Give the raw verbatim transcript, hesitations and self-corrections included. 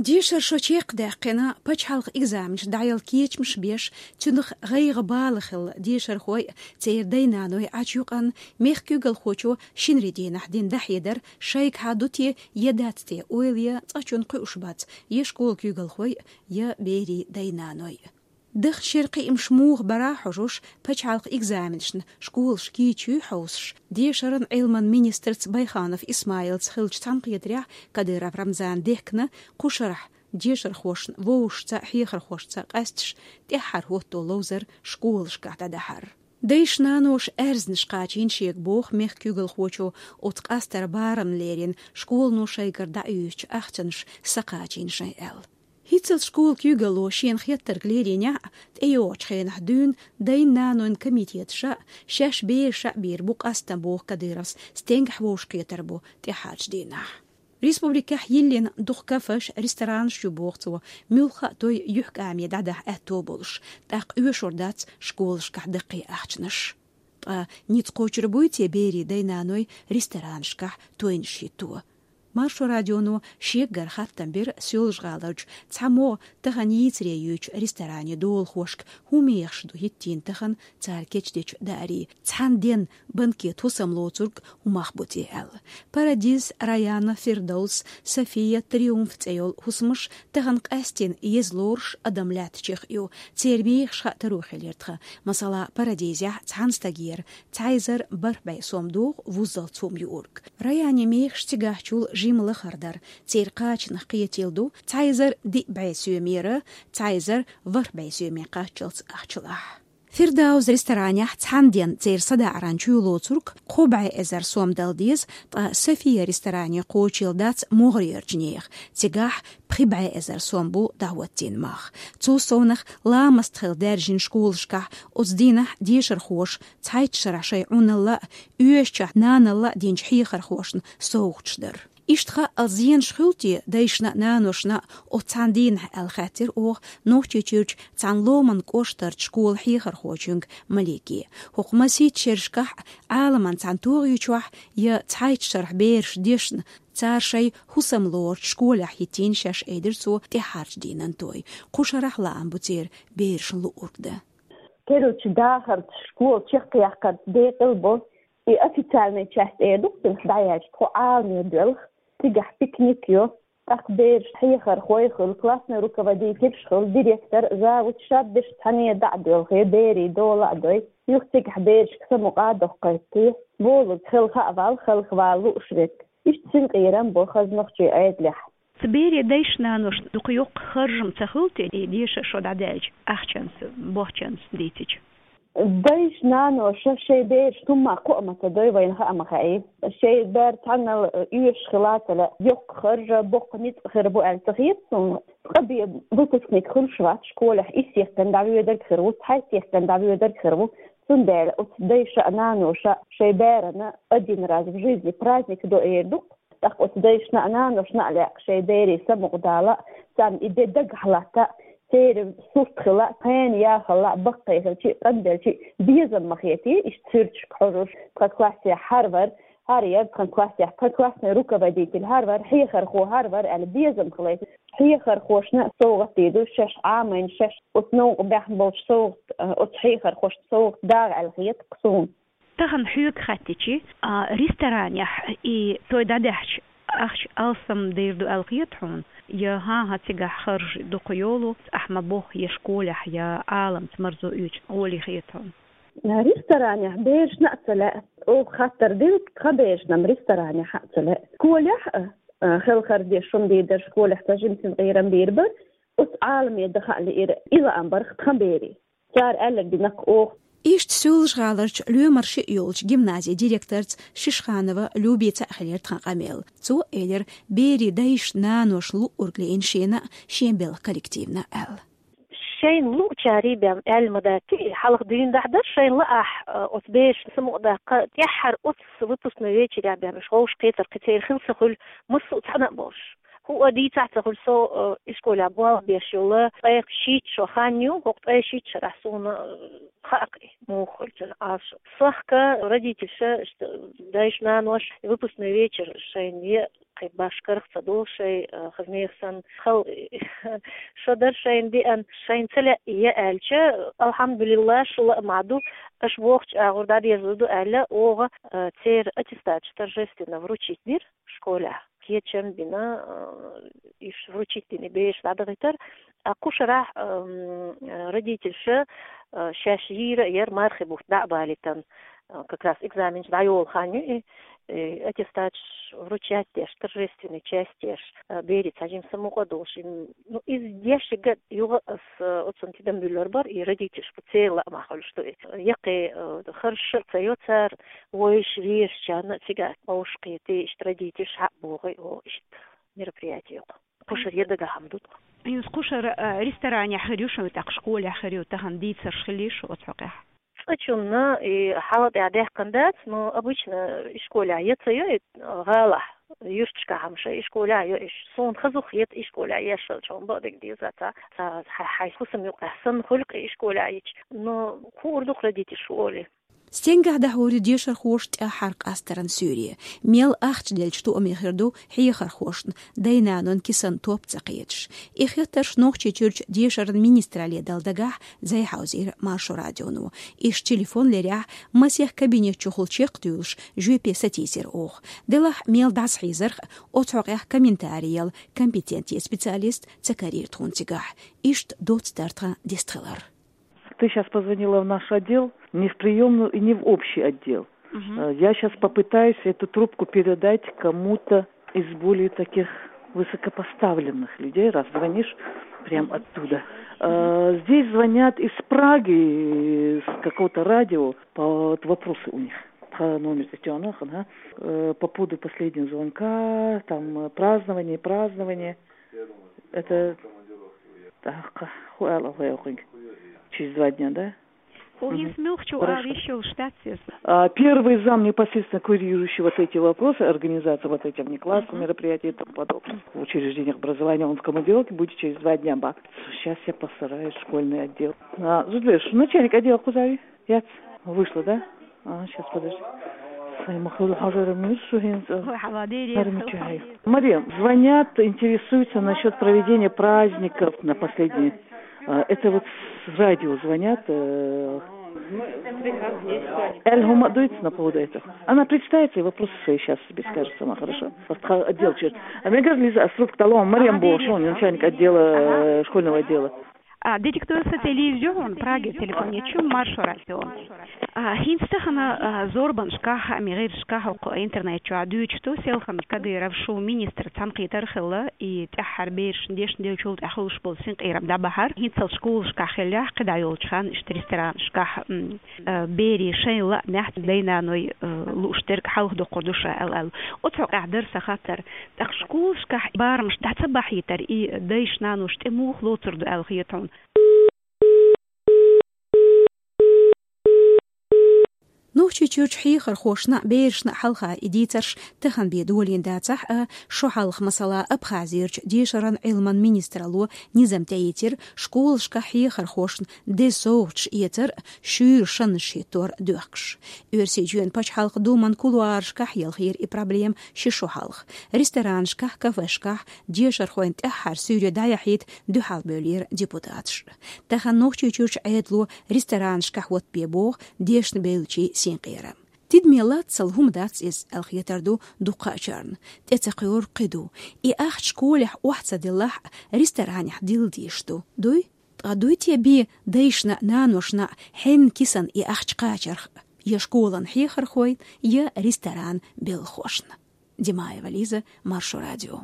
Дешара шо чекхдаьккхина, пачхьалкхан экзаменаш дӀаяла кечамаш беш, цунах гӀайгӀа-бала хилла дешархой а, церан дай-наной а Ӏачу юкъанна, мехка куьйгалхочо шинарин дийнахь дина дӀахьедар шайгахьа ду те, е дац те ойла ян цкъачунна кхуьуш бац е школан куьйгалхой а, е берийн дай-наной а. Даханчу шеран кхиамаш муха бара хьожуш, пачхьалкхан экзаменашна школаш кийча юй хьовсуш, дешаран, Ӏилман министрца Байханов Исмаилца хиллачу цхьаьнакхетарехь Кадыров Рамзана дехкина, кху шарахь дешархошна вовшашца, хьехархошца къаьсташ тӀаьххьара хӀотто ловзар школашкахь дӀадахьар. Дайша-наноша аьрзнаш кхачийна шега боху мехка куьйгалхочо, оцу къастаран барамна лерина школано шайгара дӀаоьцучу ахчанаш са кхачийна шайн аьлла. ХӀинццалц школан куьйгалло шена хеттарг леринехь а, тӀейогӀучу хенахь дуьйна дайн-нанойн комитеташа а, шаьш бераша а бийр бу къастам, боху Кадыровс, стенгахь вовшахкхетар бу тӀаьххьарчу дийнахь. Республикехь йиллина дукха кафеш, ресторанаш ю, боху цо, муьлхха а той юьхькӀаме дӀадахьа аьтто болуш, тӀаккха оьшур дац школашкахь даккхий ахчанаш. Ткъа ницкъ кхочур буй те берийн дай-наной ресторанашкахь тойнаш хӀитто? Маршо радионо шеггара хаттам бира Соьлжа-ГӀаларчу цхьаммо тахана йийцаре йоьдучу ресторане долахошка, хӀун мехаш ду хӀиттийна тахана цара кечдечу даарийн, цхьана денна банкет хӀусам лоцург хӀун мах бу те аьлла. Парадиз, Раяна, Фирдовс, София, Триумф цӀе йолу хӀусамаш тахана къаьсттина еза лоруш адам лаьттачех ю, церан мехаш хаа таро хилира тхан. Масала, Парадизехь цхьана стагера цхьа эзар бархӀ бӀе сом догӀу вуззалц хӀума юург. Раянин мехаш цигахьчул жимма лахара дара, церан кхачанах кхетийла ду цхьа эзар диъ бӀе соьмера цхьа эзар ворхӀ бӀе соьме кхаччалц ахчалахь. Фирдаус ресторанехь цхьана денна церан садаӀаран чоь лоцург кхо бӀе эзар сом дала деза, ткъа София ресторане кхочийла дац могӀарерчу нехан, цигахь пхи бӀе эзар сом бу дӀахӀоттийна мах. Цул совнах, ламаст хилла даьржина школашкахь оцу дийнахь дешархоша цхьайтта шарахь шайн Ӏуналла а, оьшучохь наналла а динчу хьехархошна совгӀаташ дара. Иштта хаалла зенаш хуьлу те дайшна а, наношна а оцу цхьана дийнахь аьлла хаьттира оха Нохчийчуьрчу цхьана ломан кӀоштарчу школан хьехархочуьнга Малике. ХӀокху масийтта шерашкахь а, Ӏаламан цхьана тогӀи чохь я цхьайтта шарахь бераш дешна, цара шайн хӀусам лоручу школехь хӀиттийна шаьш, айдира цо, тӀаьххьарчу дийнан той. Кху шарахь лаам бу церан берашна луург дан. Керла дахарца, школа чекхъяккхарца декъала бо. И официальная часть эр ду-кх цунах дӀаяьлча, тхо Ӏаламе доьлху, цигахь пикник йо. ТӀаккха бераш хьехархой хуьлу, классный руководительш хуьлу, директор, завуч, шаберш цхьаьна дӀа а доьлху, берийн дола а дой. Юха цигахь берашка самукъа а доккхуьйту те. Болург хелха а вала, хелха вала лууш верг. Иштта синкъерам бо хаза нохчийн Ӏедалехь. Цу берийн дайшна-наношна дукха йоккха харжам ца хуьлу те, и дешаран шо дӀадаьлча, ахчанца, бохчанца дийцича? Дайша-наноша шайн бераш хӀумма кхоа ма ца дой, вайна хаа ма хаьий. Шайн бер цхьаннал оьшуш хила а ца лаьа, йоккха харжа, боккха ницкъ хир бу аьлла ца хета суна. Ткъа бен выпускник хуьлуш вац школехь, исс сехкан дӀавоьдург хир ву, цхьайтта сехкан дӀавоьдург хир ву. Цундела оцу дайша а, наноша а шайн берана один раз в жизни праздник до эр ду-кх. ТӀаккха оцу дайшна а, наношна а лаьа шайн берийн самукъа дала а, царна и де дагахь латта а, церан сурт хила а, хенан яхалла а, баккхий хилча а, къанделча а безам ма хетий, иштта суьрташка хьожуш, тхан классехь хӀара вара, хӀара яра тхан классехь, тхан классный руководитель хӀара вара, хьехархо хӀара вара аьлла безам хилийта. Хьехархошна а совгӀат дийр ду, шаьш Ӏамийна, шаьш оцу новкъа баьхна болчу совгӀат, оцу хьехархошна совгӀат дагӀа аьлла хета-кх суна. Тахана хьоьга хаьттича, а, ресторанехь и той дӀадаьхьча, ахча алсам дийр ду аьлла хета хьуна? Я хӀан-хӀа, цигахь харжа дукха йолу, ахь ма-бохху, я школехь, я Ӏаламца марзо оьцучу гӀоле хета хьуна? Ресторанехь берашна а ца лаьа, оха хаттар дина, тхан берашна-м ресторанехь а ца лаьа. Школехь а, а, хелхар деш хӀума дийр дара, школехь цхьа жимма синкъерам бийр бара, оцу Ӏаламе даха а лиира, и лаам бара-кх тхан берийн. Цара аьлларг дина-кх оха. Иштта Соьлжа-ГӀаларчу лоьмар шиъ йолчу гимназин директорца Шишханова Любица а хилира тхан къамел. Цо элира, берийн дайшна-наношна луург лиъна шена а, шен белхан коллективна а аьлла. Шайна луучарий бен аьлла ма дац, и хьалха дуьйна дӀахьа дара, шайна лаахь, оцу берашна самукъадаккха, тӀаьххьара оцу выпускной вечерехь бен уьш вовшахкхетар кхин церан хила ца хуьлу, массо а цхьаьна а болуш. ХӀуъа дийцахь ца хуьлу, со, э, ишколехь болх беш йолу, ткъе шийтта шо хан ю, хӀокху ткъе шийтта шарахь суна, э, хаьа-кх и, муха хуьлу цуьнан Ӏалашо. Сохка родительша, ш-, дайша-наноша выпускной вечер шайна е кхы башха карах ца долу шайн, а, хаза нехан санна хала шо дар шайна деана, шайна ца лаьа я аьлча, алхьамдулиллахӀ, шу ла а ма ду, аша бохучу агӀор дӀадерзур ду аьлла, оха, а, церан аттестаташ торжественно вручить дира школехь. Кечам бина, а, уьш вручить дина бераш дӀадахийтар. А кху шарахь, ам, родительша, а, шаьш йийр а яра мархи бутт дӀа а балийтина, а, как раз экзаменаш дӀайолу хан ю и, и аттестаташ вручать деш, торжественный часть еш, а, берийн цхьа жимма самукъа а долуш. М, ну, иза дешига юха ас, а, оцунна тидам буьллур бара, и родительш бу церан лаамехь хуьлуш ду иза. Яккхий, а, харжаш а ца йо цара, вайша вешачарна а цигахь вовшахкхетий, иштта родительш хьаъ бохий, о, иштта мероприятие кху. Кхушара я дагахь хӀума ду тхо. Юс кхушара, а, ресторанехь хир ю шуна, тӀаккха школехь хир ю, тахана дийцарш хилий шу оцу хьокъехь? Цкъачунна и хьала тӀехь даьккхина дац, но обычно и школехь я ца йо, и гӀалахь, юьрташкахь хӀума ша и школехь йо, и ш-, суна хазух хета и школехь еш хилча, хьуна бакъдерг деза ца, ца, хьай, хьай хӀусам юкъахь санна хуьлу-кх и школехь йича. Но хуур ду-кх родительш хӀу олий. Стенгахь дӀахьур ю дешархоша тӀаьххьара къастаран суьйре. Мел ахча делча тоаме хир ду хьехархошна дай-нанойн кисанан топ ца кхеташ. И хеттарш Нохчийчуьрчу дешаран министралле дала дагахь зӀе хьовзийра Маршо радионо. Иштта телефон лерехь, масех кабинет чухула чекхдуьйлуш, жоьпе сатийсира оха. Делахь мел дӀасахьийзарх а, оцу хьокъехь комментари яла компетентни специалист ца карийра тхуна цигахь. Иштта доцца дара тхан дистхилар. Ты щас позвонила в наш отдел, не в приёмную и не в общий отдел. Э, я щас попытаюсь эту трубку передать кому-то из более таких высокопоставленных людей, раз звонишь прям оттуда. Э, здесь звонят из Праги, с какого-то радио, по, вот вопросы у них. По номеру телефона, ага. Э, по поводу последнего звонка, там, э, празднование, празднование. Это, так, ху-, ала, ху-, ху-, через два дня, да? Ху-, хӀинца муьлххачу а виш йолуш дац иза? А, первый зам, непосредственно курирующий вот эти вопросы, организация вот этих внеклассных мероприятий и тому подобное. В учреждениях образования он в командировке, будет через два дня, ба. Щас я постараюсь, школьный отдел. А, Зудбеш, начальник отдела кхузахь ву? Яц? Вышла, да? А, щас, подожди. Ай, ма хуьлу хьажар муьлш шу хӀинца. Хой, хьала дерриг. Марем, звонят, интересуются насчёт проведения праздников на последние. А, это вот с радио звонят. Э, Эль Хума дуется на поводу этого. Она представится и вопросы свои щас тебе скажет сама, хорошо? Отдел чё? А мне говорит, Лиза, а с трубки талон, Марем Бошон, начальник отдела, э, школьного отдела. А, директор сателлиз ю хьуна, Праге телефон ечу, Маршо радио. А, хӀинца тахана, а, зорбанашкахь, мегӀиршкахь, хӀокху интернет чохь дуьйцуш ду, селхана Кадыров шу министр цхьаьнакхетар хилла, и тӀаьххьара берашна дешна деллачул тӀаьхьа хуьлуш болу синкъерам дӀабахьар. ХӀинццалц школашкахь хиллехь, кхидӀа йолчу ханна иштта ресторанашкахь, м, а, берийн шайн лаамехь дай-наной, а, лууш дерг хьалха доккхур ду ша аьлла, аьлла. Оцу хьокъехь дара сан хаттар. ТӀаккха школашкахь барамаш дӀа ца бахьийтар, и дайша-наноша тӀе муха лоцур ду аьлла хета хьуна? Нохчийчуьрчу хьехархошна а, берашна а хьалха и дийцарш тахана бен долийна дацахь а, шо хьалха, масала, Абхазерчу дешаран Ӏилман министралло низам тӀеийцира школашкахь хьехархошна деза совгӀаташ эцар а, шуьйра шаннаш хӀиттор а доьхкуш. Оьрсийчоьнан пачхьалкхан Думан кулуарашкахь елхийра и проблема ши шо хьалха. Ресторанашкахь, кафешкахь дешархойн тӀаьххьара суьйре дӀаяхьийта дуьхьал бевллера депутаташ. Тахана Нохчийчуьрчу Ӏедало ресторанашкахь хӀоттабе боху дешна бевллачийн синкъерам. Тидаме лаццал хӀума дац иза аьлла хетар ду дуккхачарна. ТӀе ца кхуьур кхин ду. И ахча школехь охьа ца деллахь а, ресторанехь дилла дезаш ду. Дуй? Ткъа дуй те бен дайшна а, наношна а хьенан кисана и ахча кхачарх а, я школан хьехархойн, я ресторан белхошна? Димаева Лиза, Маршо радио.